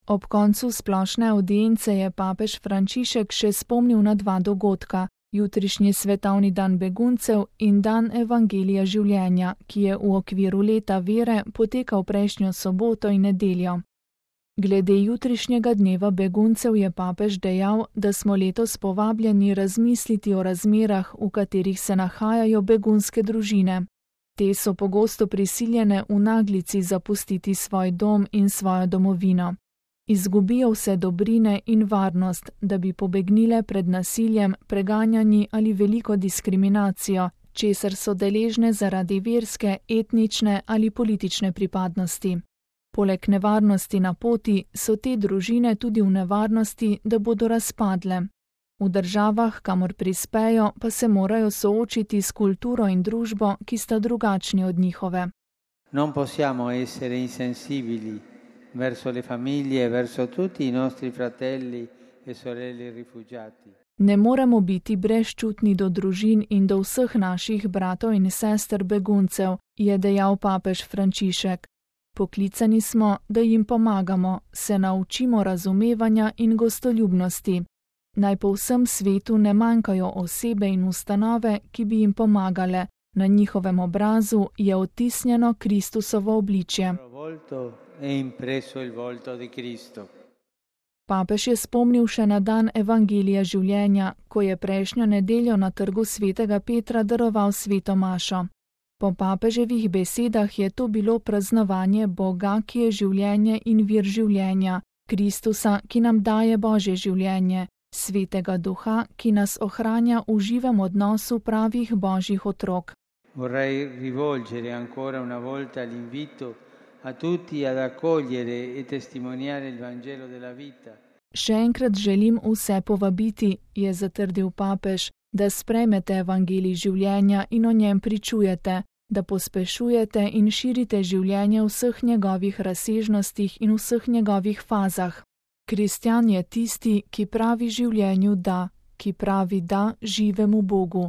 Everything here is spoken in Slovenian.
Ob koncu splošne avdience je papež Frančišek še spomnil na 2 dogodka, jutrišnji svetovni dan beguncev in dan Evangelija življenja, ki je v okviru leta vere potekal prejšnjo soboto in nedeljo. Glede jutrišnjega dneva beguncev je papež dejal, da smo letos povabljeni razmisliti o razmerah, v katerih se nahajajo begunske družine. Te so pogosto prisiljene v naglici zapustiti svoj dom in svojo domovino. Izgubijo vse dobrine in varnost, da bi pobegnile pred nasiljem, preganjanji ali veliko diskriminacijo, česar so deležne zaradi verske, etnične ali politične pripadnosti. Poleg nevarnosti na poti so te družine tudi v nevarnosti, da bodo razpadle. V državah, kamor prispejo, pa se morajo soočiti s kulturo in družbo, ki sta drugačni od njihove. Non possiamo essere insensibili verso le famiglie, verso tutti i nostri fratelli e sorelle rifugiati. Ne moremo biti brezčutni do družin in do vseh naših bratov in sester beguncev, je dejal papež Frančišek. Poklicani smo, da jim pomagamo, se naučimo razumevanja in gostoljubnosti. Naj po vsem svetu ne manjkajo osebe in ustanove, ki bi jim pomagale. Na njihovem obrazu je odtisnjeno Kristusovo obličje. Papež je spomnil še na dan Evangelija življenja, ko je prejšnjo nedeljo na trgu svetega Petra daroval sveto mašo. Po papeževih besedah je to bilo praznovanje Boga, ki je življenje in vir življenja, Kristusa, ki nam daje Božje življenje, Svetega Duha, ki nas ohranja v živem odnosu pravih Božjih otrok. Vorrei rivolgere ancora una volta l'invito a tutti ad accogliere e testimoniare il Vangelo della vita. Še enkrat želim vse povabiti, je zatrdil papež, da sprejmete evangelij življenja in o njem pričujete, da pospešujete in širite življenje v vseh njegovih razsežnostih in vseh njegovih fazah. Kristjan je tisti, ki pravi življenju da, ki pravi da živemu Bogu.